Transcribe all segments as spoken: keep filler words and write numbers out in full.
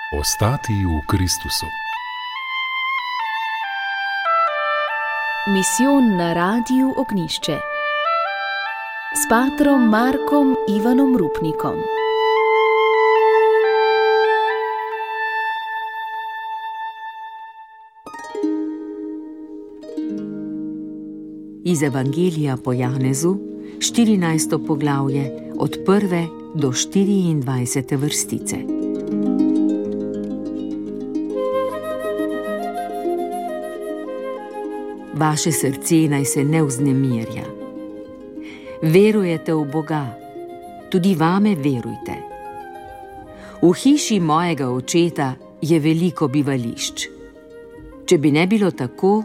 Ostati v Kristusu. Misijon na Radiu Ognjišče s patrom Markom Ivanom Rupnikom. Iz Evangelija po Janezu, štirinajsto poglavje, od prve do štiriindvajsete vrstice. Vaše srce naj se ne vznemirja. Verujete v Boga, tudi vame verujte. V hiši mojega očeta je veliko bivališč. Če bi ne bilo tako,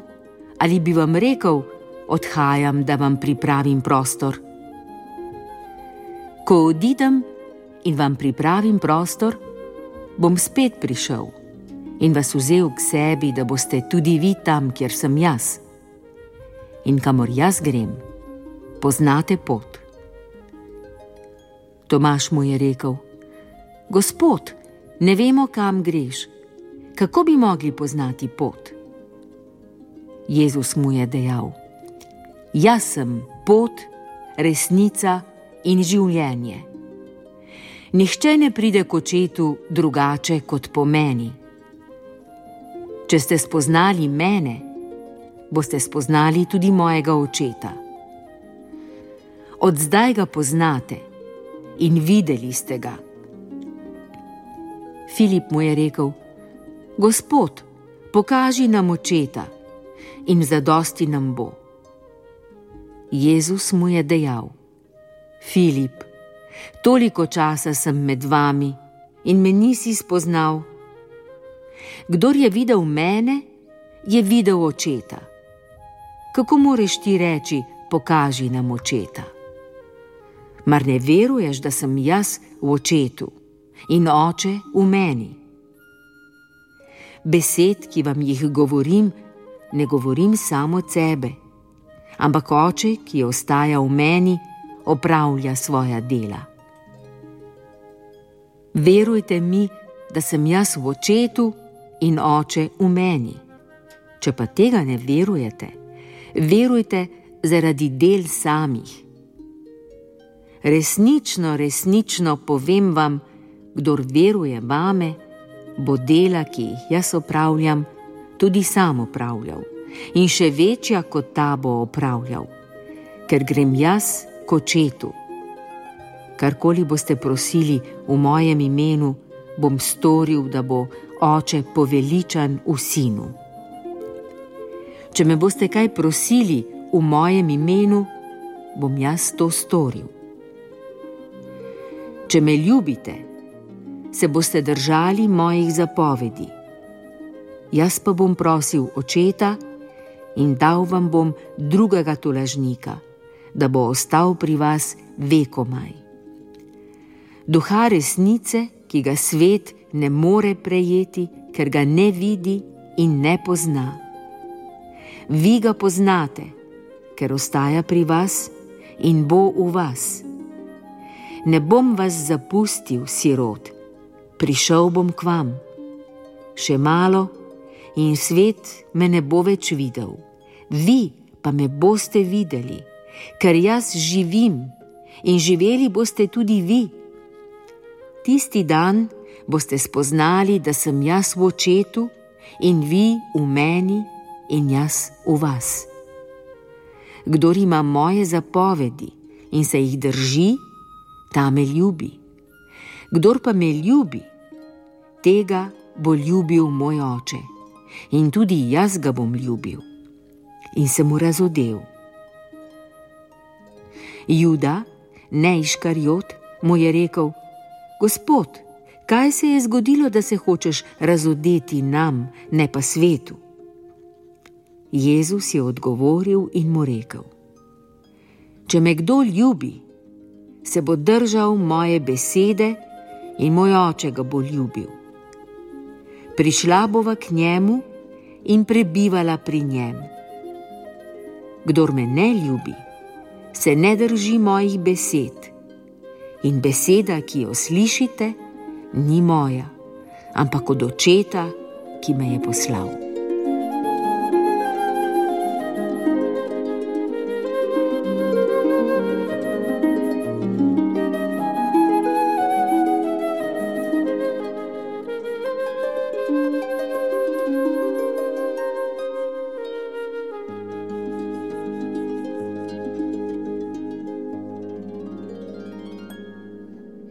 ali bi vam rekel, odhajam, da vam pripravim prostor. Ko odidem in vam pripravim prostor, bom spet prišel in vas vzel k sebi, da boste tudi vi tam, kjer sem jaz. In kamor jaz grem, poznate pot. Tomaž mu je rekel: Gospod, ne vemo, kam greš. Kako bi mogli poznati pot? Jezus mu je dejal: Jaz sem pot, resnica in življenje. Nihče ne pride k očetu drugače kot po meni. Če ste spoznali mene, boste spoznali tudi mojega očeta. Od zdaj ga poznate in videli ste ga. Filip mu je rekel: Gospod, pokaži nam očeta in zadosti nam bo. Jezus mu je dejal: Filip, toliko časa sem med vami in me nisi spoznal. Kdor je videl mene, je videl očeta. Kako moreš ti reči, pokaži nam očeta? Mar ne veruješ, da sem jaz v očetu in oče v meni? Besed, ki vam jih govorim, ne govorim samo od sebe, ampak oče, ki ostaja v meni, opravlja svoja dela. Verujte mi, da sem jaz v očetu in oče v meni. Če pa tega ne verujete, verujte zaradi del samih. Resnično, resnično povem vam, kdor veruje vame, bo dela, ki jih jaz opravljam, tudi sam opravljal, in še večja kot ta bo opravljal, ker grem jaz k očetu. Karkoli boste prosili v mojem imenu, bom storil, da bo oče poveličan v sinu. Če me boste kaj prosili v mojem imenu, bom jaz to storil. Če me ljubite, se boste držali mojih zapovedi. Jaz pa bom prosil očeta in dal vam bom drugega tolažnika, da bo ostal pri vas vekomaj. Duha resnice, ki ga svet ne more prejeti, ker ga ne vidi in ne pozna. Vi ga poznate, ker ostaja pri vas in bo v vas. Ne bom vas zapustil, sirot, prišel bom k vam. Še malo in svet me ne bo več videl, vi pa me boste videli, ker jaz živim in živeli boste tudi vi. Tisti dan boste spoznali, da sem jaz v očetu in vi v meni in jaz v vas. Kdor ima moje zapovedi in se jih drži, ta me ljubi. Kdor pa me ljubi, tega bo ljubil moj oče in tudi jaz ga bom ljubil. In se mu razodel. Juda, ne Iškariot, mu je rekel: Gospod, kaj se je zgodilo, da se hočeš razodeti nam, ne pa svetu? Jezus je odgovoril in mu rekel: Če me kdo ljubi, se bo držal moje besede in moj oče ga bo ljubil. Prišla bova k njemu in prebivala pri njem. Kdor me ne ljubi, se ne drži mojih besed in beseda, ki jo slišite, ni moja, ampak od Očeta, ki me je poslal.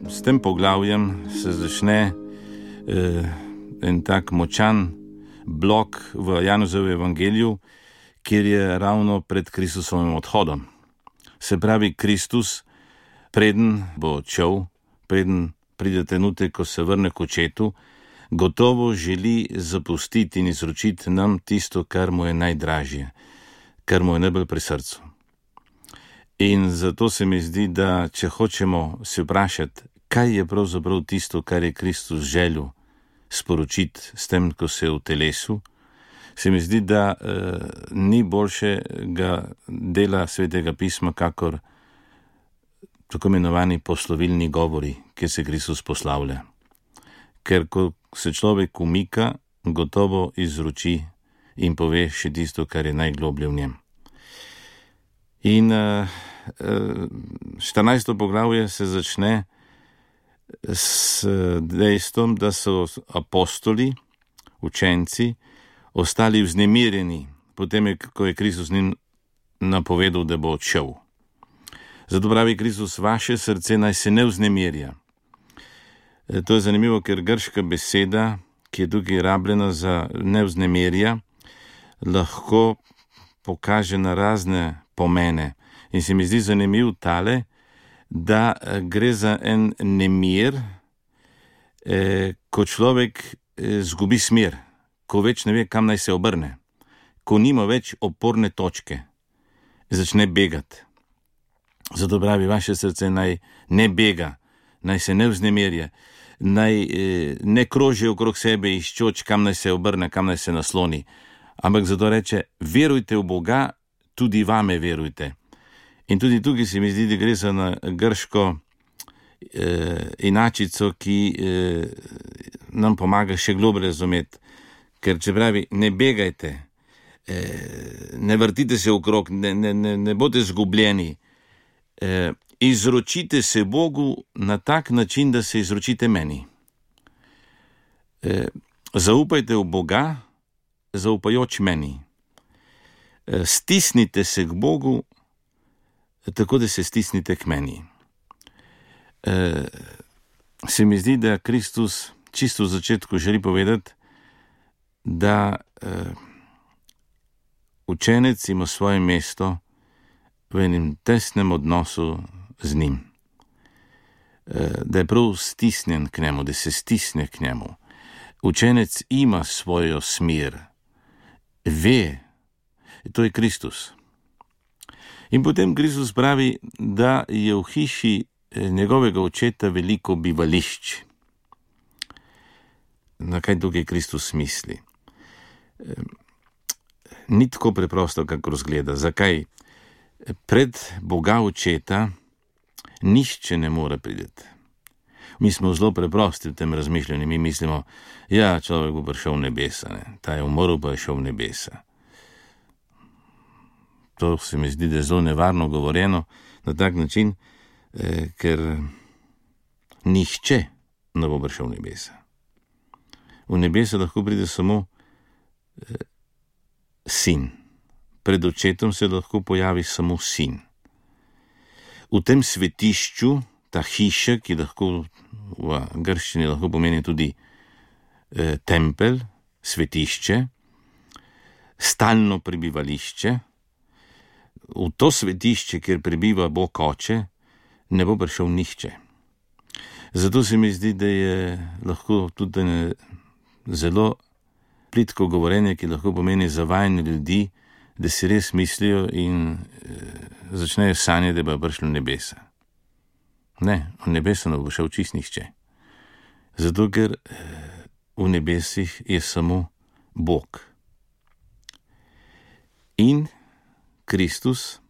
S tem poglavjem se začne eh, en tak močan blok v Janezovem evangeliju, kjer je ravno pred Kristusovim odhodom. Se pravi, Kristus, preden bo odšel, preden pride trenutek, ko se vrne k Očetu, gotovo želi zapustiti in izročiti nam tisto, kar mu je najdražje, kar mu je najbolj pri srcu. In zato se mi zdi, da če hočemo se vprašati, kaj je pravzaprav tisto, kar je Kristus želel sporočiti s tem, ko se je v telesu, se mi zdi, da eh, ni boljšega dela Svetega pisma, kakor tako imenovani poslovilni govori, kjer se Kristus poslavlja. Ker ko se človek umika, gotovo izroči in pove še tisto, kar je najgloblje v njem. In eh, štirinajsto poglavje se začne s dejstvom, da so apostoli, učenci, ostali vznemirjeni, potem je, ko je Kristus njim napovedal, da bo odšel. Zato pravi Kristus, vaše srce naj se ne vznemirja. To je zanimivo, ker grška beseda, ki je tukaj rabljena za ne vznemirja, lahko pokaže na razne pomene. In se mi zdi zanimiv tale, da gre za en nemir, eh, ko človek eh, zgubi smer, ko več ne ve, kam naj se obrne, ko nima več oporne točke, začne begati. Zato pravi, vaše srce naj ne bega, naj se ne vznemirje, naj eh, ne kroži okrog sebe iščoč, kam naj se obrne, kam naj se nasloni, ampak zato reče, verujte v Boga, tudi vame verujte. In tudi tukaj se mi zdi, da gre za na grško eh, inačico, ki eh, nam pomaga še globlje razumeti. Ker če pravi, ne begajte, eh, ne vrtite se okrog, ne, ne, ne, ne boste zgubljeni, eh, izročite se Bogu na tak način, da se izročite meni. Eh, zaupajte v Boga, zaupajoč meni. Eh, stisnite se k Bogu, tako da se stisnite k meni. E, se mi zdi, da Kristus čisto v začetku želi povedati, da e, učenec ima svoje mesto v enem tesnem odnosu z njim. E, da je prav stisnjen k njemu, da se stisne k njemu. Učenec ima svojo smer, ve, to je Kristus. In potem Kristus pravi, da je v hiši njegovega Očeta veliko bivališč. Na kaj tukaj Kristus misli? Ni tako preprosto, kako razgleda. Zakaj? Pred Boga Očeta nišče ne more priti. Mi smo zelo preprosti v tem razmišljanju. Mi mislimo, ja, človek bo prišel v nebesa, ne? Ta je umrl, pa je šel v nebesa. To se mi zdi, da je zelo nevarno govorjeno na tak način, eh, ker nihče ne bo prišel v nebesa. V nebesa lahko pride samo eh, sin. Pred Očetom se lahko pojavi samo sin. V tem svetišču, ta hiša, ki lahko v grščini lahko pomeni tudi eh, tempelj, svetišče, stalno prebivališče, v to svetišče, kjer prebiva Bog Oče, ne bo prišel nihče. Zato se mi zdi, da je lahko tudi zelo plitko govorenje, ki lahko pomeni zavajanje ljudi, da si res mislijo in e, začnejo sanjati, da bo prišlo v nebesa. Ne, v nebesa ne bo šel čist nihče. Zato, ker e, v nebesih je samo Bog. In Kristus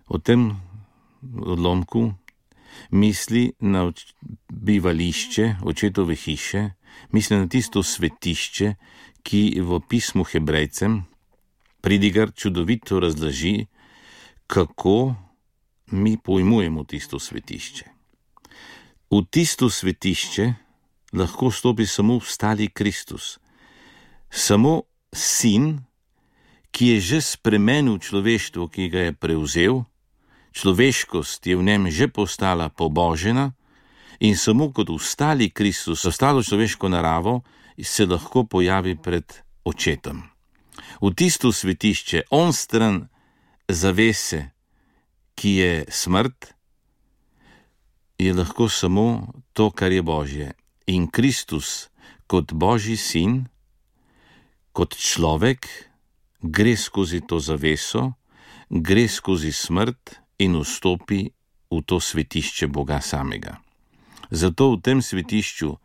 o tem odlomku misli na bivališče očetove hiše, misli na tisto svetišče, ki v pismu Hebrejcem pridigar čudovito razloži, kako mi pojmujemo tisto svetišče. V tisto svetišče lahko stopi samo vstali Kristus, samo sin, ki je že spremenil človeštvo, ki ga je prevzel, človeškost je v njem že postala pobožena in samo kot vstali Kristus, ostalo človeško naravo, se lahko pojavi pred očetom. V tisto svetišče, on stran zavese, ki je smrt, je lahko samo to, kar je Božje. In Kristus kot Božji sin, kot človek, gre skozi to zaveso, gre skozi smrt in vstopi v to svetišče Boga samega. Zato v tem svetišču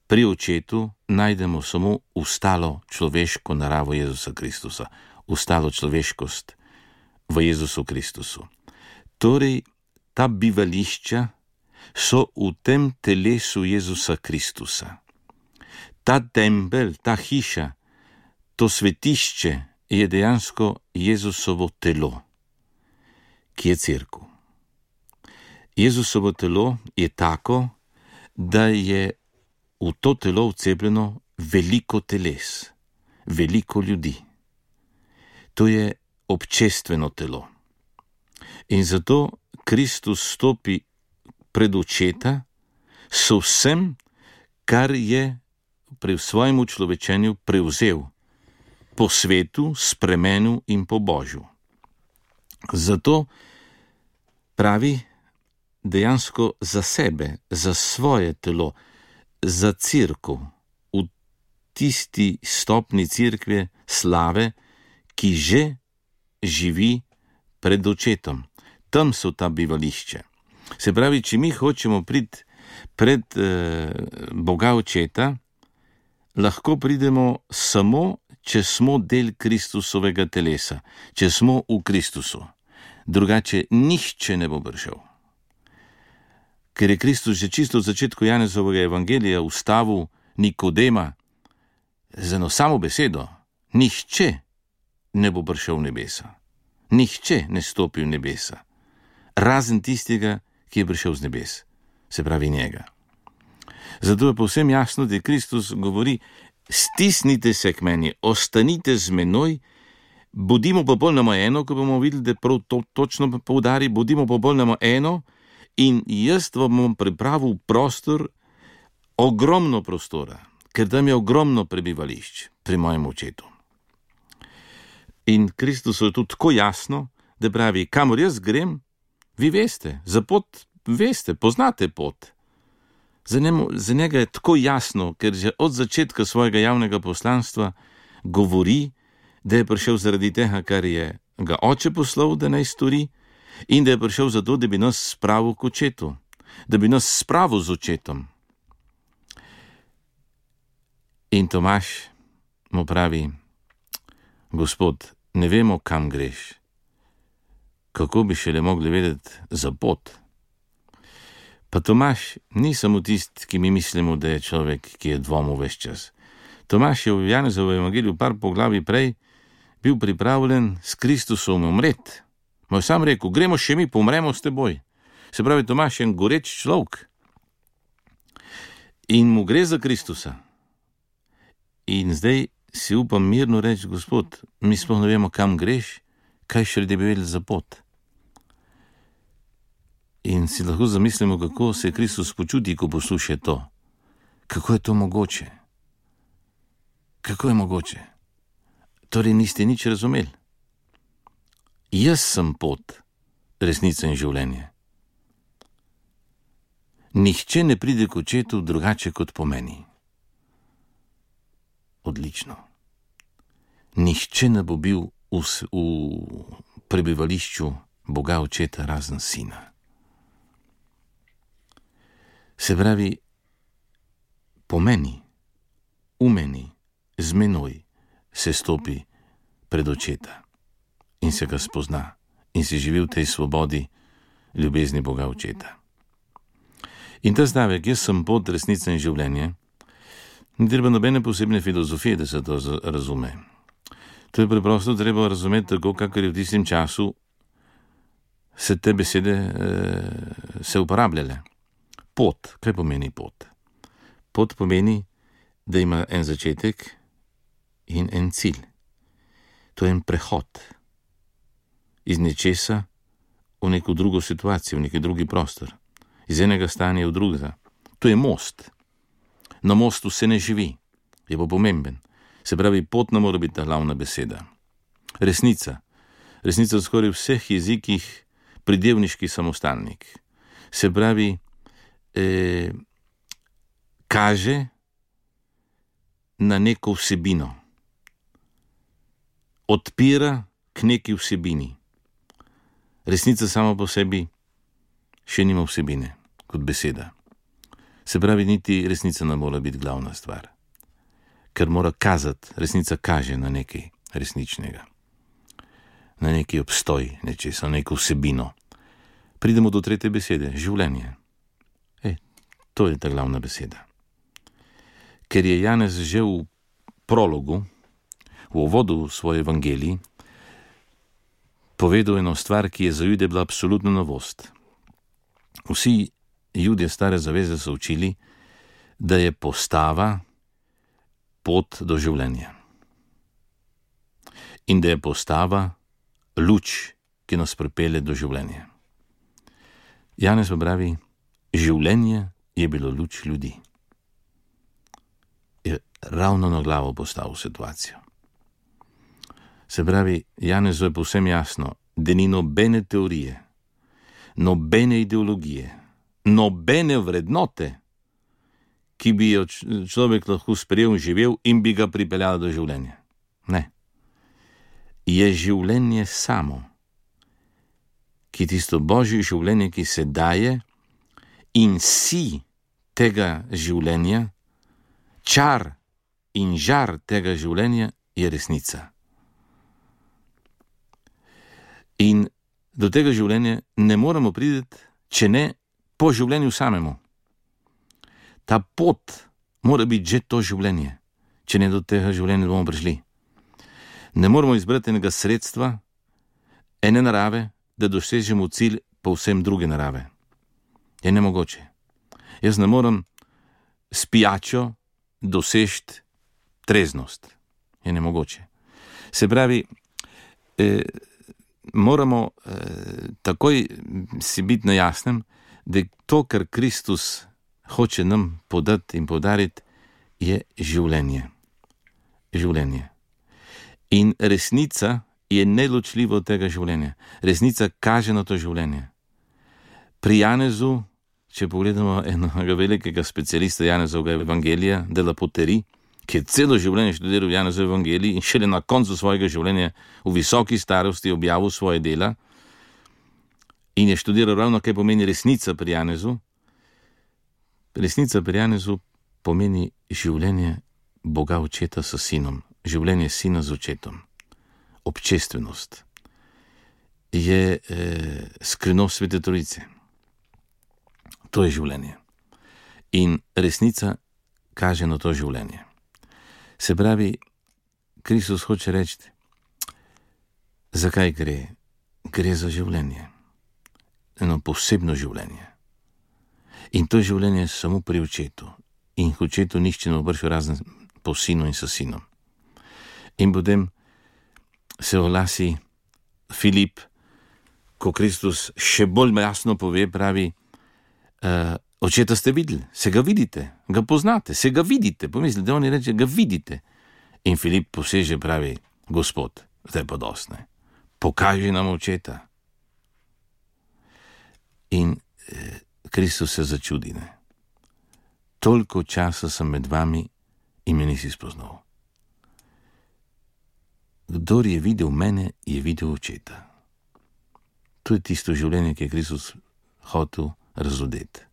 pri očetu najdemo samo ustalo človeško naravo Jezusa Kristusa, ustalo človeškost v Jezusu Kristusu. Torej, ta bivališča so v tem telesu Jezusa Kristusa. Ta tempelj, ta hiša, to svetišče je dejansko Jezusovo telo, ki je cerkev. Jezusovo telo je tako, da je v to telo vcepljeno veliko teles, veliko ljudi. To je občestveno telo. In zato Kristus stopi pred očeta s vsem, kar je pri svojem človečenju prevzel, po svetu, spremenil in po Božju. Zato pravi dejansko za sebe, za svoje telo, za cerkev, v tisti stopni cerkve slave, ki že živi pred očetom. Tam so ta bivališče. Se pravi, če mi hočemo priti pred eh, Boga očeta, lahko pridemo samo, če smo del Kristusovega telesa, če smo v Kristusu. Drugače nihče ne bo prišel. Ker je Kristus že čisto v začetku Janezovega evangelija ustavil Nikodema z eno samo besedo: nihče ne bo prišel v nebesa. Nihče ne stopi v nebesa, razen tistega, ki je prišel z nebes, se pravi njega. Zato je povsem jasno, da Kristus govori: stisnite se k meni, ostanite z menoj, bodimo popolnoma eno, ko bomo videli, da prav to točno poudari, bodimo popolnoma eno in jaz vam bom pripravil prostor, ogromno prostora, ker tam je ogromno prebivališč pri mojem očetu. In Kristus je tudi tako jasno, da pravi: kamor jaz grem, vi veste, za pot veste, poznate pot. Za, njemu, za njega je tako jasno, ker že od začetka svojega javnega poslanstva govori, da je prišel zaradi tega, kar je ga oče poslal, da naj stori, in da je prišel zato, da bi nas spravil k očetu, da bi nas spravil z očetom. In Tomaž mu pravi: Gospod, ne vemo, kam greš. Kako bi šele mogli vedeti za pot? Pa Tomaž ni samo tisti, ki mi mislimo, da je človek, ki je dvomil ves čas. Tomaž je v Janezovem evangeliju par poglavij prej bil pripravljen s Kristusom umreti. Moj sam rekel: gremo še mi, pomremo s teboj. Se pravi, Tomaž je en goreč človek. In mu gre za Kristusa. In zdaj si upam mirno reči: Gospod, mi sploh ne vemo, kam greš, kaj še da bi vedeli za pot. In si lahko zamislimo, kako se Kristus počuti, ko posluša to. Kako je to mogoče? Kako je mogoče? Torej niste nič razumeli. Jaz sem pot, resnica in življenje. Nihče ne pride k očetu drugače kot po meni. Odlično. Nihče ne bo bil v, v prebivališču Boga očeta razen sina. Se pravi, po meni, v meni, z menoj se stopi pred očeta in se ga spozna in se živi v tej svobodi ljubezni Boga očeta. In ta stavek, jaz sem pot, resnica in življenje, ni treba nobene posebne filozofije, da se to razume. To je preprosto treba razumeti tako, kakor je v tistem času se te besede eh, se uporabljale. Pot, kaj pomeni pot? Pot pomeni, da ima en začetek in en cilj. To je en prehod iz nečesa v neko drugo situacijo, v neki drugi prostor, iz enega stanja v drugega. To je most. Na mostu se ne živi, je pa pomemben. Se pravi, pot ne mora biti ta glavna beseda. Resnica. Resnica v skoraj vseh jezikih pridevniški samostalnik. Se pravi, eh, kaže na neko vsebino. Odpira k neki vsebini. Resnica sama po sebi še nima vsebine, kot beseda. Se pravi, niti resnica ne mora biti glavna stvar. Ker mora kazati, resnica kaže na nekaj resničnega. Na neki obstoj nečesa, na neko vsebino. Pridemo do tretje besede, življenje. E, to je ta glavna beseda. Ker je Janez že v prologu, v uvodu v svoj evangeliji, povedal eno stvar, ki je za Jude bila absolutna novost. Vsi Judje stare zaveze so učili, da je postava pot do življenja. In da je postava luč, ki nas pripelje do življenja. Janez pa pravi, življenje je bilo luč ljudi. Je ravno na glavo postavil situacijo. Se pravi, Janezu je povsem jasno, da ni nobene teorije, nobene ideologije, nobene vrednote, ki bi jo človek lahko sprejel in živel in bi ga pripeljala do življenja. Ne. Je življenje samo, ki je tisto božje življenje, ki se daje in si tega življenja, čar in žar tega življenja je resnica. In do tega življenja ne moremo priti, če ne po življenju samemu. Ta pot mora biti že to življenje, če ne do tega življenja bomo prišli. Ne moramo izbrati enega sredstva, ene narave, da dosežemo cilj povsem druge narave. Je nemogoče. Jaz ne morem s pijačo dosežiti treznost. Je nemogoče. Se pravi, eh, moramo eh, takoj si biti na jasnem, da to, kar Kristus hoče nam podati in podariti, je življenje. Življenje. In resnica je neločljiva od tega življenja. Resnica kaže na to življenje. Pri Janezu, če pogledamo enega velikega specialista Janezovega evangelija, de la Poterie, ki je celo življenje študiral Janezov evangelij in šele na koncu svojega življenja v visoki starosti objavil svoje dela in je študiral ravno, kaj pomeni resnica pri Janezu. Resnica pri Janezu pomeni življenje Boga Očeta s Sinom, življenje Sina z Očetom. Občestvenost je eh, skrivnost Svete Trojice. To je življenje. In resnica kaže na to življenje. Se pravi, Kristus hoče reči, zakaj gre? Gre za življenje. Eno posebno življenje. In to življenje je samo pri Očetu. In k Očetu nihče ne bo prišel razen po Sinu in s Sinom. In potem se oglasi Filip, ko Kristus še bolj jasno pove, pravi, uh, Očeta ste videli, se ga vidite, ga poznate, se ga vidite. Pomislite, da oni reče, ga vidite. In Filip poseže, pravi, Gospod, zdaj pa dosti, ne, pokaži nam Očeta. In eh, Kristus se začudi, ne. Toliko časa sem med vami in me nisi spoznal. Kdor je videl mene, je videl Očeta. To je tisto življenje, ki je Kristus hotel razodeti.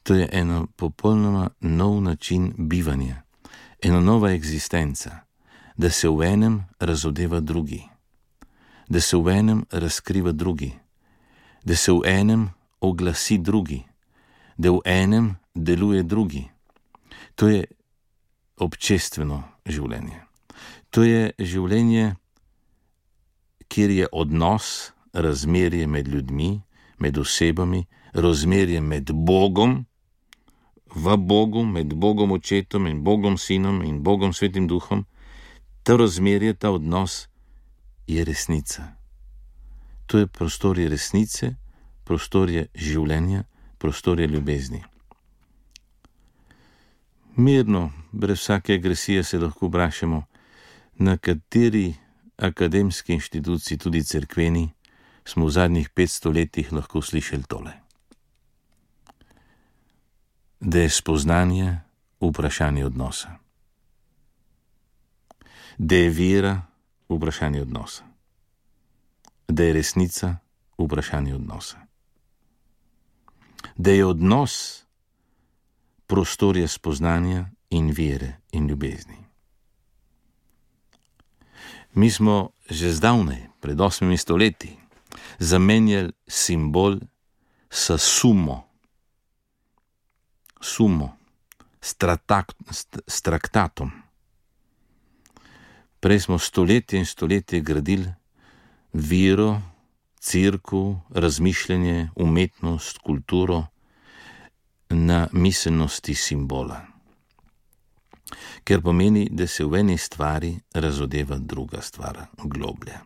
To je eno popolnoma nov način bivanja, ena nova eksistenca, da se v enem razodeva drugi, da se v enem razkriva drugi, da se v enem oglasi drugi, da v enem deluje drugi. To je občestveno življenje. To je življenje, kjer je odnos, razmerje med ljudmi, med osebami, razmerje med Bogom, v Bogu, med Bogom Očetom in Bogom Sinom in Bogom Svetim Duhom. To razmerje, ta odnos je resnica. To je prostorje resnice, prostorje življenja, prostorje ljubezni. Mirno, brez vsake agresije se lahko vprašamo, na kateri akademski inštituciji, tudi cerkveni, smo v zadnjih petsto letih lahko slišali tole. Da je spoznanje vprašanje odnosa. Da je vera vprašanje odnosa. Da je resnica vprašanje odnosa. Da je odnos prostorje spoznanja in vere in ljubezni. Mi smo že zdavnaj, pred osmimi stoletji, zamenjali simbol s sumo. Sumo, s, tratak, s traktatom. Prej smo stoletje in stoletje gradili vero, cerkev, razmišljanje, umetnost, kulturo na miselnosti simbola. Ker pomeni, da se v eni stvari razodeva druga stvar, globlja.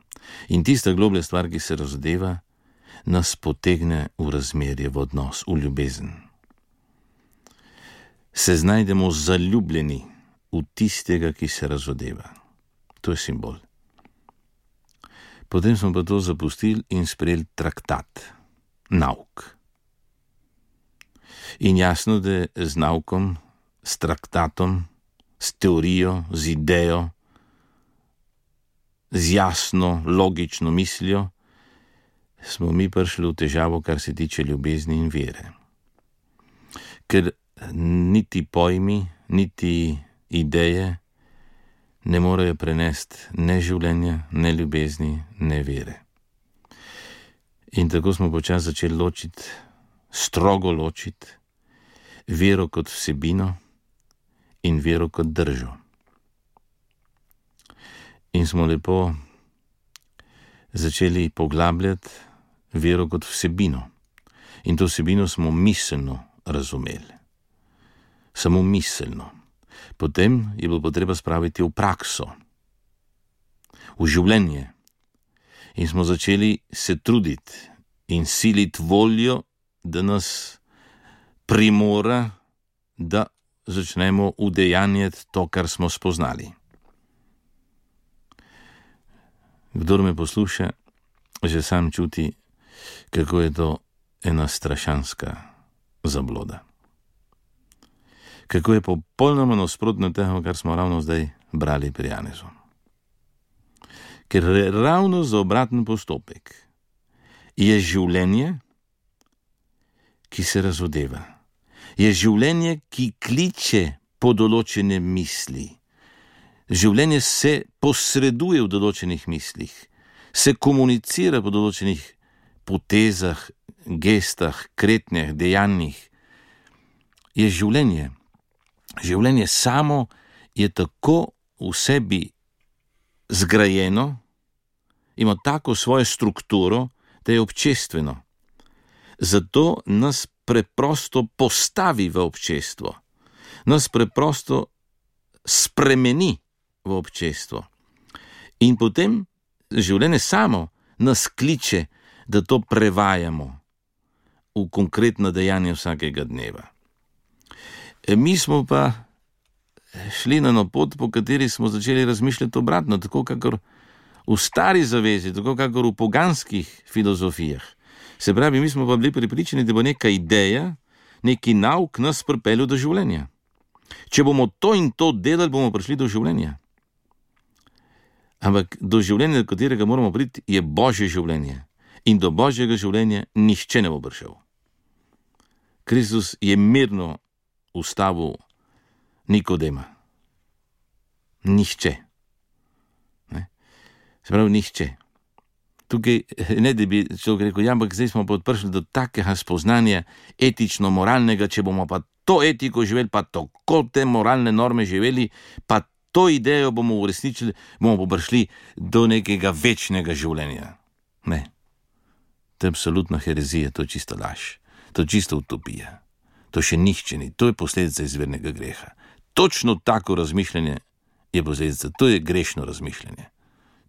In tista globlja stvar, ki se razodeva, nas potegne v razmerje, v odnos, v ljubezen. Se znajdemo zaljubljeni v tistega, ki se razodeva. To je simbol. Potem smo pa to zapustili in sprejeli traktat, nauk. In jasno, da z naukom, s traktatom, s teorijo, z idejo, z jasno, logično mislijo, smo mi prišli v težavo, kar se tiče ljubezni in vere. Ker niti pojmi, niti ideje ne morejo prenesti ne življenja, ne ljubezni, ne vere. In tako smo počasi začeli ločiti, strogo ločiti, vero kot vsebino in vero kot držo. In smo lepo začeli poglabljati vero kot vsebino. In to vsebino smo miselno razumeli. Samo miselno. Potem je bilo potreba spraviti v prakso, v življenje. In smo začeli se truditi in siliti voljo, da nas primora, da začnemo udejanjati to, kar smo spoznali. Kdor me posluša, že sam čuti, kako je to ena strašanska zabloda. Kako je popolnoma nasprotno tega, kar smo ravno zdaj brali pri Janezu. Ker ravno za obraten postopek je življenje, ki se razodeva. Je življenje, ki kliče po določene misli. Življenje se posreduje v določenih mislih, se komunicira po določenih potezah, gestah, kretnjah, dejanjih. Je življenje. Življenje samo je tako v sebi zgrajeno, ima tako svojo strukturo, da je občestveno. Zato nas preprosto postavi v občestvo, nas preprosto spremeni v občestvo. In potem življenje samo nas kliče, da to prevajamo v konkretno dejanje vsakega dneva. Mi smo pa šli na eno pot, po kateri smo začeli razmišljati obratno, tako kakor v stari zavezi, tako kakor v poganskih filozofijah. Se pravi, mi smo pa bili prepričani, da bo neka ideja, neki nauk nas pripeljal do življenja. Če bomo to in to delali, bomo prišli do življenja. Ampak do življenja, do katerega moramo priti, je Božje življenje. In do Božjega življenja nihče ne bo prišel. Kristus je mirno ustavil Nikodema. Nihče. Ne? Se pravi, nihče. tukaj ne da bi človek rekel, ja, ampak zdaj smo pa prišli do takega spoznanja etično-moralnega, če bomo pa to etiko živeli, pa tako te moralne norme živeli, pa to idejo bomo uresničili, bomo pa prišli do nekega večnega življenja. Ne. To je absolutna herezija, to je čisto laž. To je čisto utopija. To še nihče ni. To je posledica izvirnega greha. Točno tako razmišljanje je posledica. To je grešno razmišljanje.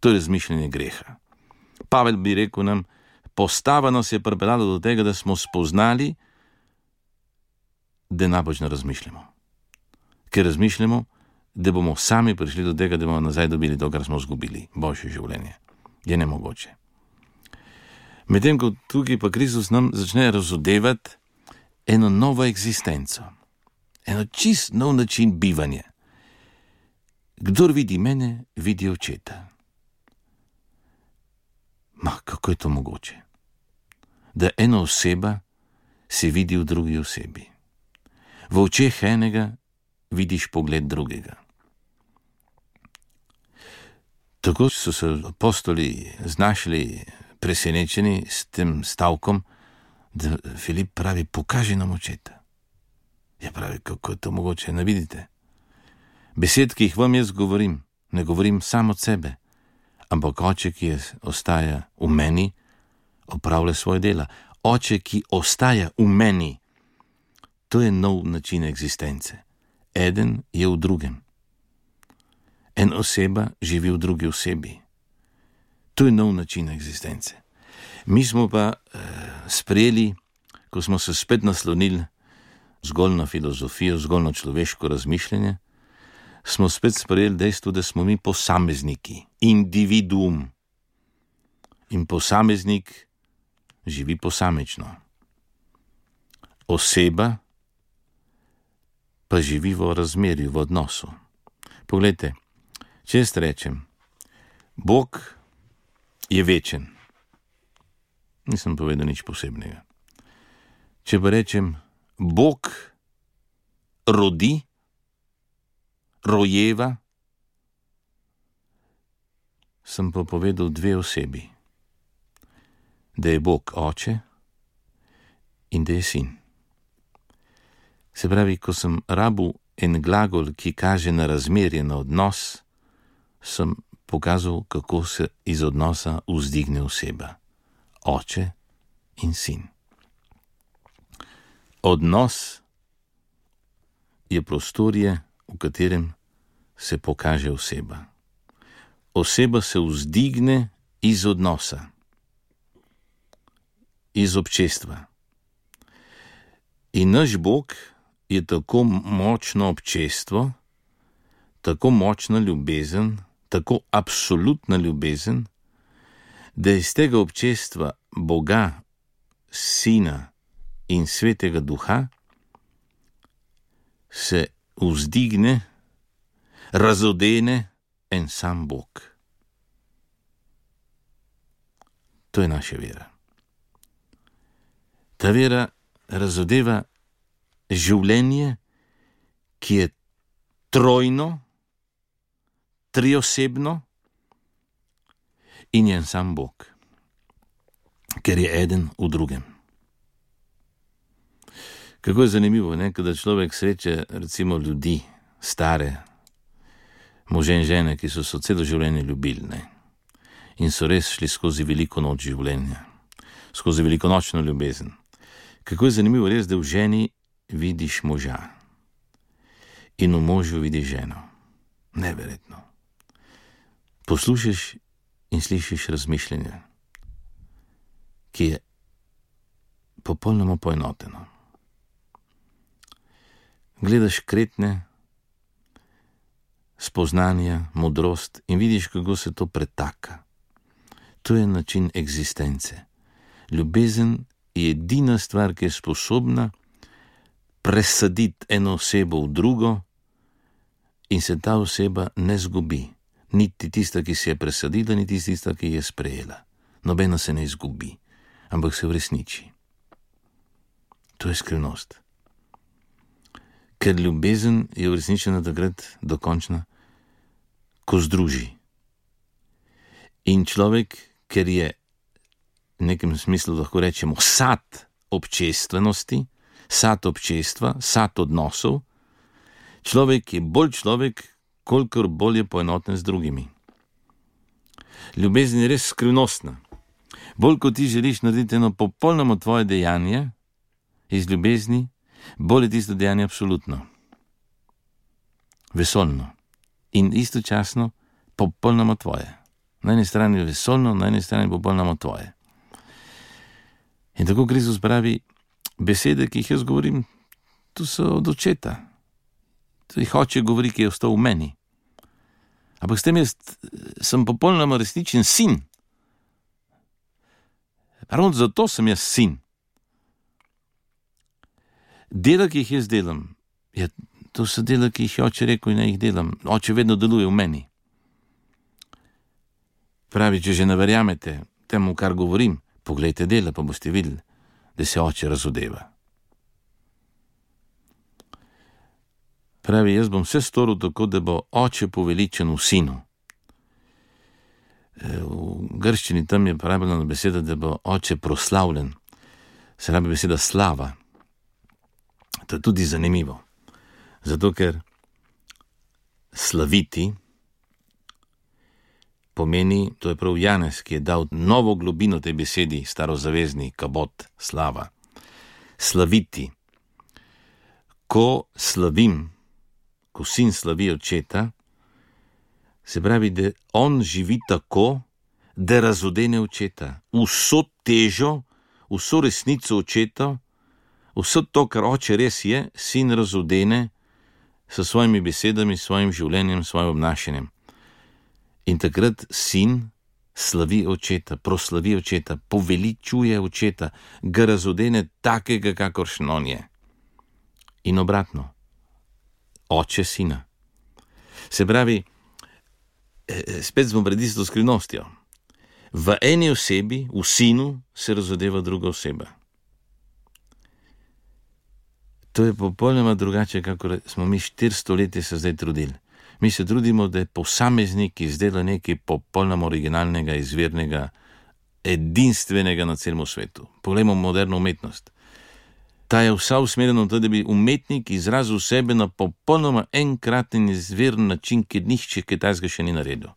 To je razmišljanje greha. Pavel bi rekel nam, postava nas je pripeljala do tega, da smo spoznali, da napačno razmišljamo. Ker razmišljamo, da bomo sami prišli do tega, da bomo nazaj dobili to, kar smo izgubili. Boljše življenje. Je nemogoče. Medtem ko tukaj pa Kristus nam začne razodevati eno novo eksistenco. Eno čist nov način bivanja. Kdor vidi mene, vidi očeta. Ma, kako je to mogoče? Da ena oseba se vidi v drugi osebi. V očeh enega vidiš pogled drugega. Tako so se apostoli znašli presenečeni s tem stavkom, da Filip pravi, pokaži nam očeta. Ja, pravi, kako je to mogoče, ne vidite? Besed, ki jih vam jaz govorim, ne govorim samo od sebe, ampak oče, ki je, ostaja v meni, opravlja svoje dela. Oče, ki ostaja v meni, to je nov način eksistence. Eden je v drugem. En oseba živi v drugi osebi. To je nov način eksistence. Mi smo pa eh, sprejeli, ko smo se spet naslonili zgolj na filozofijo, zgolj na človeško razmišljanje, smo spet sprejeli dejstvo, da smo mi posamezniki, individuum. In posameznik živi posamično. Oseba pa živi v razmerju, v odnosu. Poglejte, če jaz rečem, Bog je večen, nisem povedal nič posebnega. Če pa rečem, Bog rodi, rojeva, sem pa povedal dve osebi. Da je Bog oče in da je sin. Se pravi, ko sem rabil en glagol, ki kaže na razmerje, na odnos, sem pokazal, kako se iz odnosa vzdigne oseba. Oče in sin. Odnos je prostorje, v katerem se pokaže oseba. Oseba se vzdigne iz odnosa, iz občestva. In naš Bog je tako močno občestvo, tako močna ljubezen, tako absolutna ljubezen, da iz tega občestva Boga, Sina in Svetega Duha se vzdigne, razodene en sam Bog. To je naša vera. Ta vera razodeva življenje, ki je trojno, triosebno in je en sam Bog, ker je eden v drugem. Kako je zanimivo, ne, kada človek sreče recimo ljudi, stare, može in žene, ki so se celo življenje ljubili, ne, in so res šli skozi veliko noč življenja, skozi veliko nočno ljubezen. Kako je zanimivo res, da v ženi vidiš moža in v možu vidiš ženo. Neverjetno. Poslušaš in slišiš razmišljanje, ki je popolnoma poenoteno. Gledaš kretne spoznanja, modrost in vidiš, kako se to pretaka. To je način eksistence. Ljubezen je edina stvar, ki je sposobna presaditi eno osebo v drugo in se ta oseba ne zgubi. Niti tista, ki se je presadila, niti tista, ki je sprejela. Nobena se ne izgubi, ampak se uresniči. To je skrivnost. Ker ljubezen je uresničena takrat dokončna, ko združi. In človek, ker je v nekem smislu lahko rečemo sad občestvenosti, sad občestva, sad odnosov. Človek je bolj človek, kolikor bolj je poenoten z drugimi. Ljubezen je res skrivnostna. Bolj kot ti želiš narediti eno popolnoma tvoje dejanje iz ljubezni, bolj je tisto dejanje absolutno, vesoljno in istočasno popolnoma tvoje. Na eni strani je vesoljno, na eni strani popolnoma tvoje. In tako Kristus pravi, besede, ki jih jaz govorim, to so od očeta. To jih oče govori, ki je ostal v meni. Ampak s tem jaz sem popolnoma resničen sin. Ravno zato sem jaz sin. Dela, ki jih jaz delam, ja, to so dela, ki jih je oče rekel in jih delam. Oče vedno deluje v meni. Pravi, če že ne verjamete temu, kar govorim, poglejte dela, pa boste videli, da se oče razodeva. Pravi, jaz bom vse storil tako, da bo oče poveličen v sinu. V grščini tam je pravljena beseda, da bo oče proslavljen. Se rabi beseda slava. To je tudi zanimivo. Zato, ker slaviti pomeni, to je prav Janez, ki je dal novo globino tej besedi, starozavezni, kabot, slava. Slaviti. Ko slavim, ko sin slavi očeta, se pravi, da on živi tako, da razodene očeta. Vso težo, vso resnico očeta, vso to, kar oče res je, sin razodene s svojimi besedami, svojim življenjem, svojim obnašanjem. In takrat sin slavi očeta, proslavi očeta, poveličuje očeta, ga razodene takega, kakoršen on je. In obratno, oče sina. Se pravi, spet smo pred isto skrivnostjo. V eni osebi, v sinu, se razodeva druga oseba. To je popolnoma drugače, kako smo mi štiristo leti se zdaj trudili. Mi se trudimo, da je posameznik izdela nekaj popolnoma originalnega, izvirnega, edinstvenega na celem svetu. Poglejmo moderno umetnost. Ta je vsa usmerjena v to, da bi umetnik izrazil sebe na popolnoma enkraten izviren način, ki nihče kaj takega še ni naredil.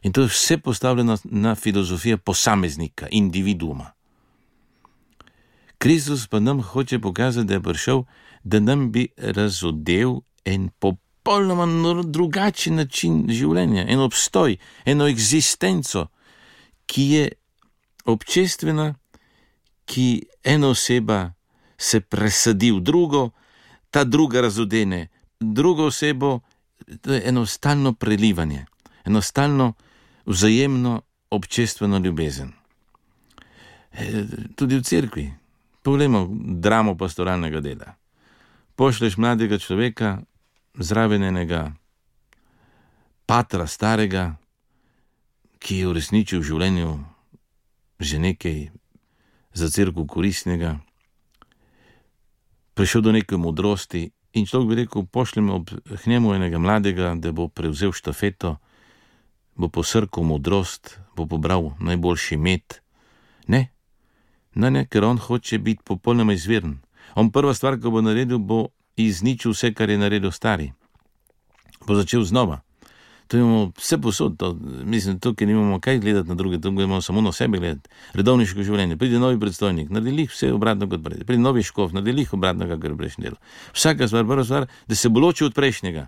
In to je vse postavljeno na filozofijo posameznika, individuuma. Kristus pa nam hoče pokazati, da je prišel, da nam bi razodel en popolnoma drugačen način življenja, en obstoj, eno eksistenco, ki je občestvena, ki ena oseba se presadi v drugo, ta druga razodene drugo osebo, to je eno stalno prelivanje, eno stalno vzajemno občestveno ljubezen. E, tudi v cerkvi. Poglejmo dramo pastoralnega dela. Pošleš mladega človeka zraven enega patra starega, ki je uresničil v življenju že nekaj za cerkev koristnega, prišel do neke modrosti in človek bi rekel, pošljemo k njemu enega mladega, da bo prevzel štafeto, bo posrkal modrost, bo pobral najboljši med. Ne, ne, ne, ker on hoče biti popolnoma izviren. On prva stvar, ko bo naredil, bo izničil vse, kar je naredil stari. Bo začel znova. To imamo vse posod, to, mislim, tukaj nimamo kaj gledati na druge, tukaj imamo samo na sebe gledati. Redovniško življenje, pride novi predstojnik, naredi vse obratno kot prej, pride novi škof, naredi obratno, kakor je prejšnje delo. Vsaka stvar, prva stvar, da se bo ločil od prejšnjega.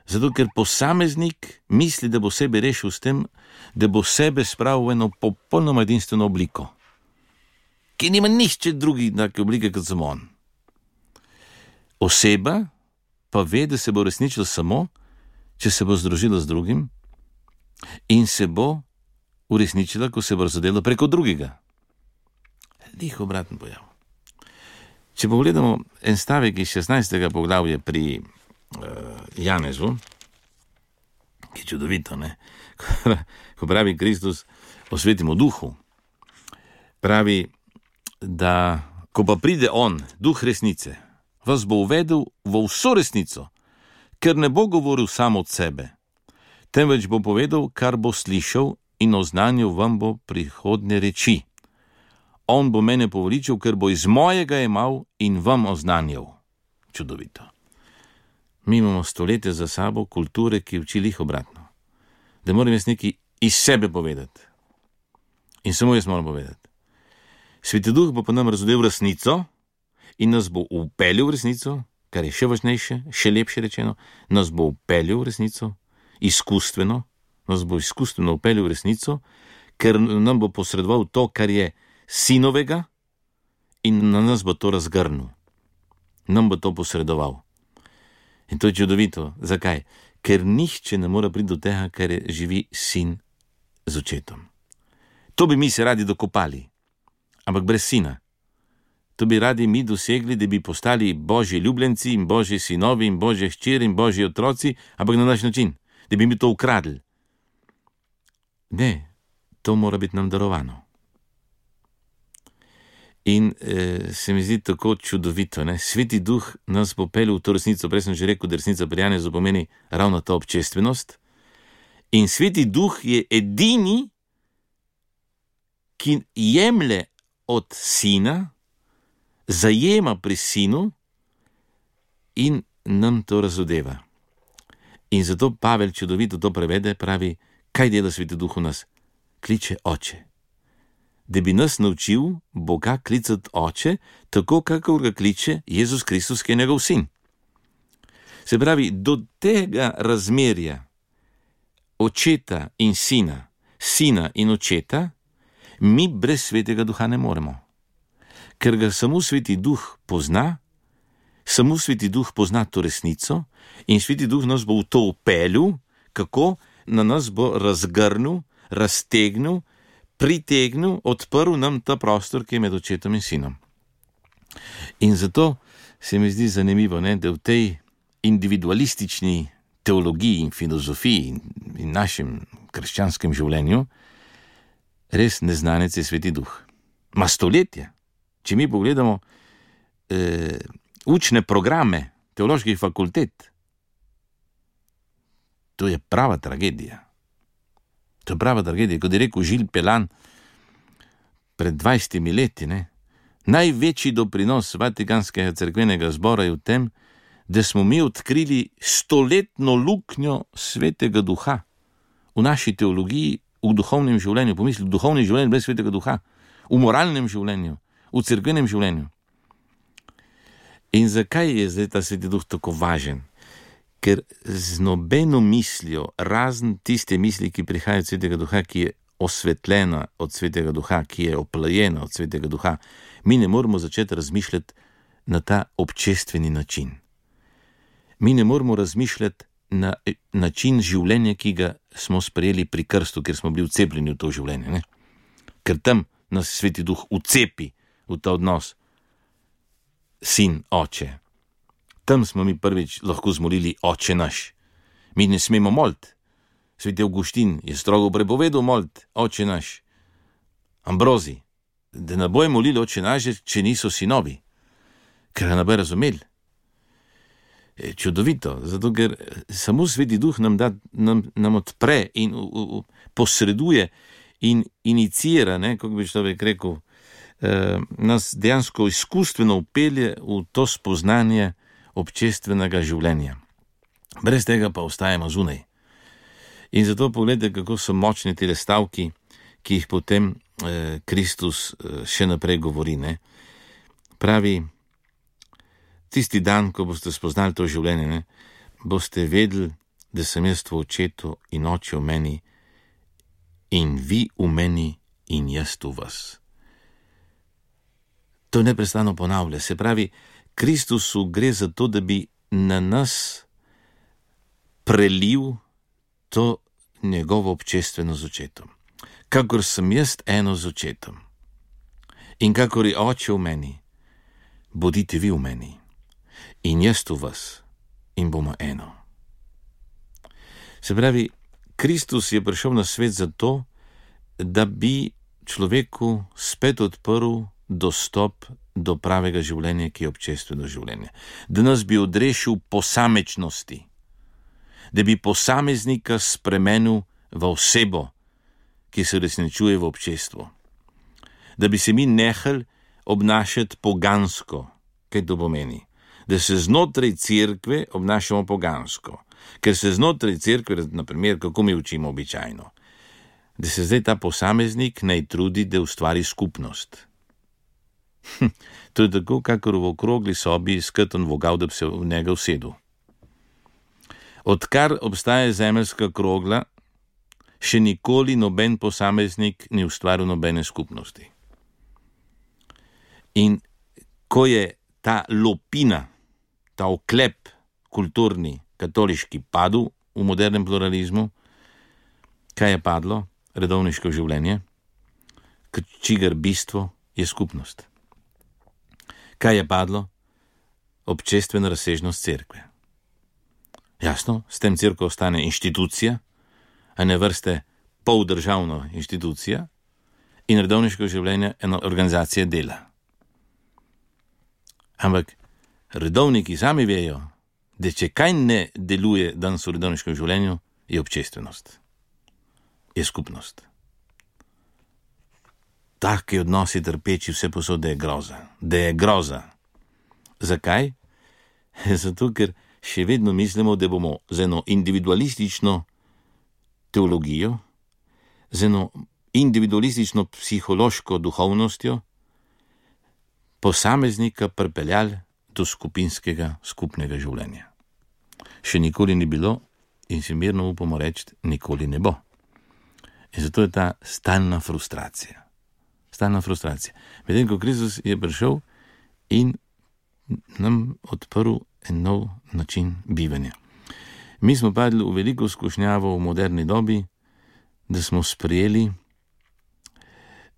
Zato, ker posameznik misli, da bo sebe rešil s tem, da bo sebe spravil v eno popolnoma edinstveno obliko, ki nima nišče drugi take oblike, kot samo on. Oseba pa ve, da se bo resničila samo, če se bo združila z drugim in se bo uresničila, ko se bo razodela preko drugega. Lih obraten pojav. Če pogledamo en stavek iz šestnajstega poglavja pri uh, Janezu, ki je čudovito, ne? Ko pravi Kristus o svetem duhu, pravi, da ko pa pride on, duh resnice, vas bo uvedel v vso resnico, ker ne bo govoril samo od sebe, temveč bo povedal, kar bo slišal in oznanil vam bo prihodne reči. On bo mene poveličal, ker bo iz mojega jemal in vam oznanjal. Čudovito. Mi imamo stoletja za sabo kulture, ki uči lih obratno. Da moram jaz nekaj iz sebe povedati. In samo jaz moram povedati. Sveti Duh bo pa nam razodel resnico in nas bo upeljal v resnico, kar je še važnejše, še lepše rečeno, nas bo upeljal v resnico, izkustveno, nas bo izkustveno upeljal v resnico, ker nam bo posredoval to, kar je sinovega, in na nas bo to razgrnil. Nam bo to posredoval. In to je čudovito. Zakaj? Ker nihče ne more priti do tega, kar je živi sin z očetom. To bi mi se radi dokopali, ampak brez sina. To bi radi mi dosegli, da bi postali božji ljubljenci in božji sinovi in božje hčeri in božji otroci, ampak na naš način, da bi mi to ukradli. Ne, to mora biti nam darovano. In eh, se mi zdi tako čudovito, ne? Sveti Duh nas bo peljal v to resnico. Prej sem že rekel, da resnica pri Janezu pomeni ravno ta občestvenost. In Sveti Duh je edini, ki jemlje od sina, zajema pri sinu in nam to razodeva. In zato Pavel čudovito to prevede, pravi, kaj dela Sveti Duh v nas? Kliče oče. Da bi nas naučil Boga klicati oče, tako kakor ga kliče Jezus Kristus, ki je njegov sin. Se pravi, do tega razmerja očeta in sina, sina in očeta, mi brez Svetega Duha ne moremo. Ker ga samo Sveti Duh pozna, samo Sveti Duh pozna to resnico in Sveti Duh nas bo v to upeljal, kako na nas bo razgrnil, raztegnil, pritegnil, odprl nam ta prostor, ki je med očetom in sinom. In zato se mi zdi zanimivo, ne, da v tej individualistični teologiji in filozofiji in, in našem krščanskem življenju res neznanec je Sveti Duh. Ma stoletje. Če mi pogledamo eh, učne programe teoloških fakultet, to je prava tragedija. To je prava tragedija, kot je rekel Žil Pelan pred dvajsetimi leti, ne? Največji doprinos Vatikanskega cerkvenega zbora je v tem, da smo mi odkrili stoletno luknjo Svetega Duha v naši teologiji, v duhovnem življenju, pomisli, v duhovnem življenju brez Svetega Duha, v moralnem življenju, v cerkvenem življenju. In zakaj je zdaj ta Sveti Duh tako važen? Ker z nobeno mislijo, razen tiste misli, ki prihaja od Svetega Duha, ki je osvetljena od Svetega Duha, ki je oplajena od Svetega Duha, mi ne moramo začeti razmišljati na ta občestveni način. Mi ne moramo razmišljati na način življenja, ki ga smo sprejeli pri krstu, ker smo bili vcepljeni v to življenje. Ne? Ker tam nas Sveti Duh vcepi v ta odnos sin, oče. Tam smo mi prvič lahko zmolili oče naš. Mi ne smemo moliti. Sveti Avguštin je strogo prepovedal moliti oče naš. Ambrozi, da ne bojo molili oče naš, če niso sinovi, ker ga ne bojo razumeli. Je čudovito, zato ker samo Sveti Duh nam, da, nam, nam odpre in u, u, posreduje in inicira, ne, kako bi človek rekel, eh, nas dejansko izkustveno upelje v to spoznanje občestvenega življenja. Brez tega pa ostajamo zunaj. In zato pogledajte, kako so močni te stavki, ki jih potem eh, Kristus eh, še naprej govori. Ne? Pravi, tisti dan, ko boste spoznali to življenje, ne, boste vedeli, da sem jaz v očetu in oče v meni in vi v meni in jaz v vas. To neprestano ponavlja. Se pravi, Kristusu gre za to, da bi na nas prelil to njegovo občestveno z očetom. Kakor sem jaz eno z očetom in kakor je oče v meni, bodite vi v meni in jaz v vas in bomo eno. Se pravi, Kristus je prišel na svet zato, da bi človeku spet odprl dostop do pravega življenja, ki je občestveno življenje. Da nas bi odrešil posamečnosti, da bi posameznika spremenil v osebo, ki se uresničuje v občestvu. Da bi se mi nehali obnašati pogansko. Kaj to pomeni? Da se znotraj cerkve obnašamo pogansko. Ker se znotraj cerkve, na primer, kako mi učimo običajno, da se zdaj ta posameznik naj trudi, da ustvari skupnost. Hm, to je tako, kakor v okrogli sobi skrten vogal, da bi se v njega usedel. Odkar obstaja zemeljska krogla, še nikoli noben posameznik ni ustvaril nobene skupnosti. In ko je ta lopina, ta oklep kulturni, katoliški padel v modernem pluralizmu, kaj je padlo? Redovniško življenje, čigar bistvo je skupnost. Kaj je padlo? Občestvena razsežnost cerkve. Jasno, s tem cerkev ostane inštitucija, a ne vrste poldržavna inštitucija, in redovniško življenje ena organizacija dela. Ampak redovniki sami vejo, da če kaj ne deluje danes v redovniškem življenju, je občestvenost. Je skupnost. Taki odnosi trpeči vse posod, da je groza. Da je groza. Zakaj? Zato, ker še vedno mislimo, da bomo z eno individualistično teologijo, z eno individualistično psihološko duhovnostjo posameznika pripeljali do skupinskega, skupnega življenja. Še nikoli ni bilo in si mirno upamo reči, nikoli ne bo. In zato je ta stalna frustracija. Stalna frustracija. Medtem, ko Kristus je prišel in nam odprl en nov način bivanja. Mi smo padli v veliko skušnjavo v moderni dobi, da smo sprejeli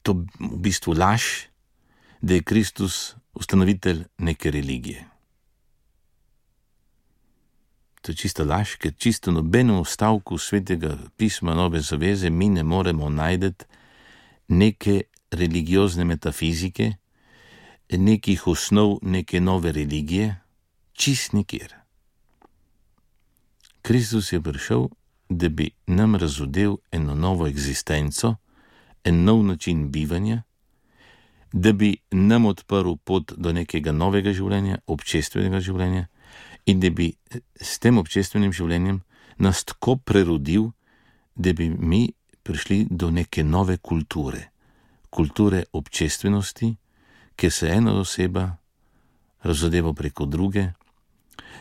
to v bistvu laž, da je Kristus ustanovitelj neke religije. To je čista laž, ker čisto nobenemu stavku svetega pisma Nove zaveze mi ne moremo najdeti neke religiozne metafizike, nekih osnov neke nove religije, čist nikjer. Kristus je prišel, da bi nam razodel eno novo egzistenco, en nov način bivanja, da bi nam odprl pot do nekega novega življenja, občestvenega življenja, in da bi s tem občestvenim življenjem nas tako prerodil, da bi mi prišli do neke nove kulture, kulture občestvenosti, kjer se ena oseba razodeva preko druge,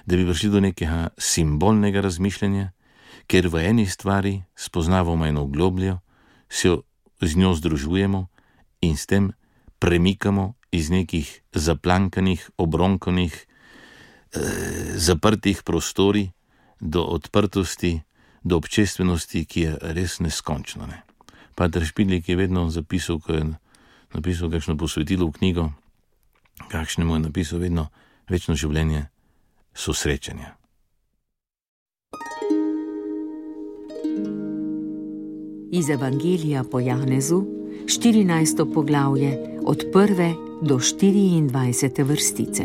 da bi prišli do nekega simbolnega razmišljanja, ker v eni stvari spoznavamo eno globljo, se z njo združujemo in s tem premikamo iz nekih zaplankanih, obronkanih, zaprtih prostori do odprtosti, do občestvenosti, ki je res neskončno. Ne? Pater Špidlik je vedno zapisal, ko je napisal kakšno posvetilo v knjigo, kakšnemu je napisal vedno večno življenje so srečanja. Iz Evangelija po Janezu, štirinajsto poglavje, od prve do štiriindvajsete vrstice.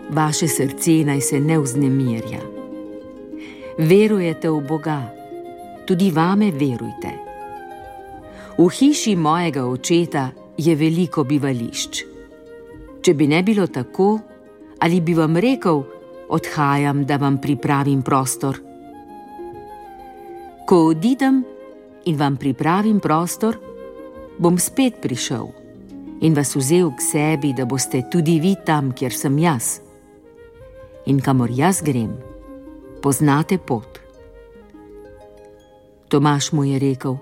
Vaše srce naj se ne vznemirja. Verujete v Boga, tudi vame verujte. V hiši mojega očeta je veliko bivališč. Če bi ne bilo tako, ali bi vam rekel, odhajam, da vam pripravim prostor. Ko odidem in vam pripravim prostor, bom spet prišel in vas vzel k sebi, da boste tudi vi tam, kjer sem jaz. In kamor jaz grem, poznate pot. Tomaž mu je rekel: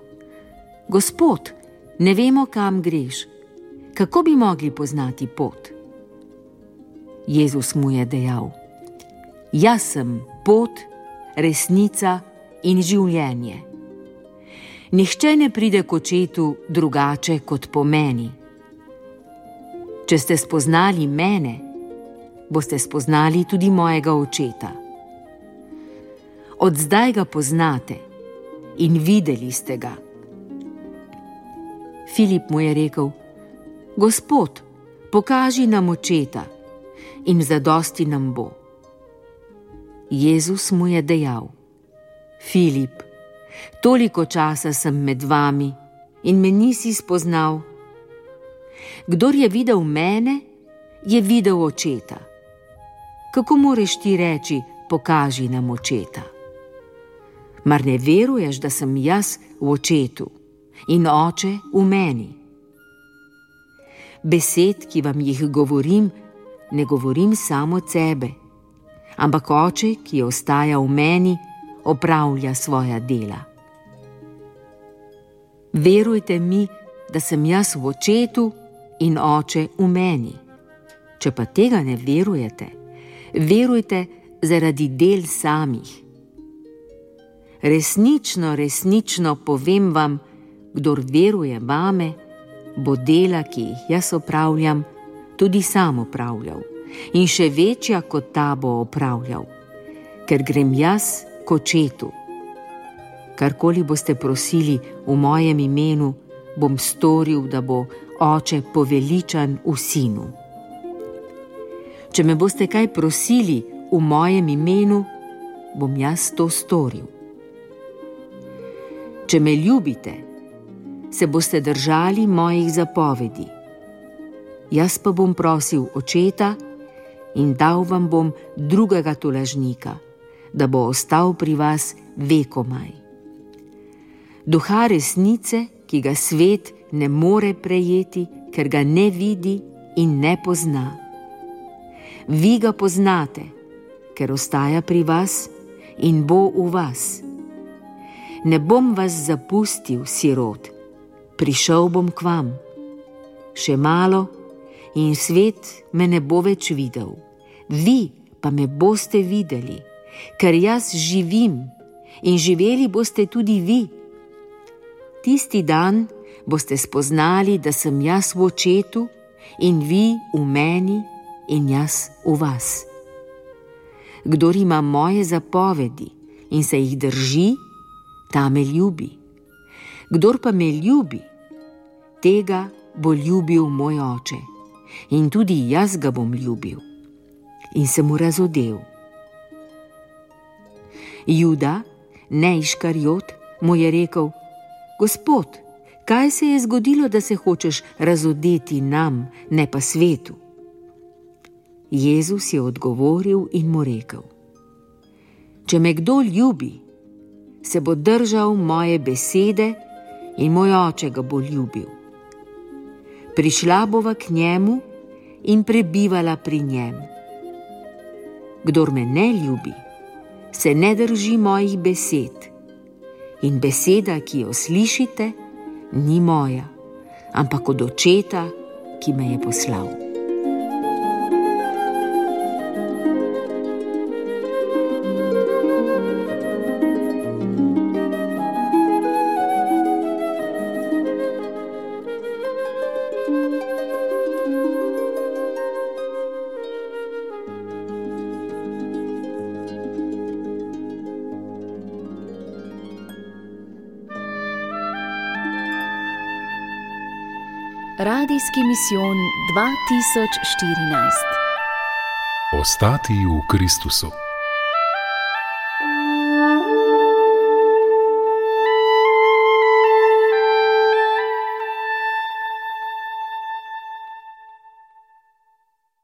Gospod, ne vemo, kam greš. Kako bi mogli poznati pot? Jezus mu je dejal: Jaz sem pot, resnica in življenje. Nihče ne pride k očetu drugače kot po meni. Če ste spoznali mene, boste spoznali tudi mojega očeta. Od zdaj ga poznate in videli ste ga. Filip mu je rekel: Gospod, pokaži nam očeta in zadosti nam bo. Jezus mu je dejal: Filip, toliko časa sem med vami in me nisi spoznal. Kdor je videl mene, je videl očeta. Kako moreš ti reči, pokaži nam očeta? Mar ne veruješ, da sem jaz v očetu in oče v meni? Besed, ki vam jih govorim, ne govorim samo od sebe, ampak oče, ki ostaja v meni, opravlja svoja dela. Verujte mi, da sem jaz v očetu in oče v meni. Če pa tega ne verujete, verujte zaradi del samih. Resnično, resnično povem vam, kdor veruje vame, bo dela, ki jih jaz opravljam, tudi sam opravljal in še večja kot ta bo opravljal, ker grem jaz k očetu. Karkoli boste prosili v mojem imenu, bom storil, da bo oče poveličan v sinu. Če me boste kaj prosili v mojem imenu, bom jaz to storil. Če me ljubite, se boste držali mojih zapovedi. Jaz pa bom prosil očeta in dal vam bom drugega tolažnika, da bo ostal pri vas vekomaj. Duha resnice, ki ga svet ne more prejeti, ker ga ne vidi in ne pozna. Vi ga poznate, ker ostaja pri vas in bo v vas. Ne bom vas zapustil, sirot, prišel bom k vam. Še malo in svet me ne bo več videl, vi pa me boste videli, ker jaz živim in živeli boste tudi vi. Tisti dan boste spoznali, da sem jaz v očetu in vi v meni in jaz v vas. Kdor ima moje zapovedi in se jih drži, ta me ljubi. Kdor pa me ljubi, tega bo ljubil moj oče in tudi jaz ga bom ljubil. In se mu razodel. Juda, ne Iškariot, mu je rekel: Gospod, kaj se je zgodilo, da se hočeš razodeti nam, ne pa svetu? Jezus je odgovoril in mu rekel: Če me kdo ljubi, se bo držal moje besede in moj oče ga bo ljubil. Prišla bova k njemu in prebivala pri njem. Kdor me ne ljubi, se ne drži mojih besed. In beseda, ki jo slišite, ni moja, ampak od očeta, ki me je poslal. Radijski misijon dva tisoč štirinajst. Ostati v Kristusu.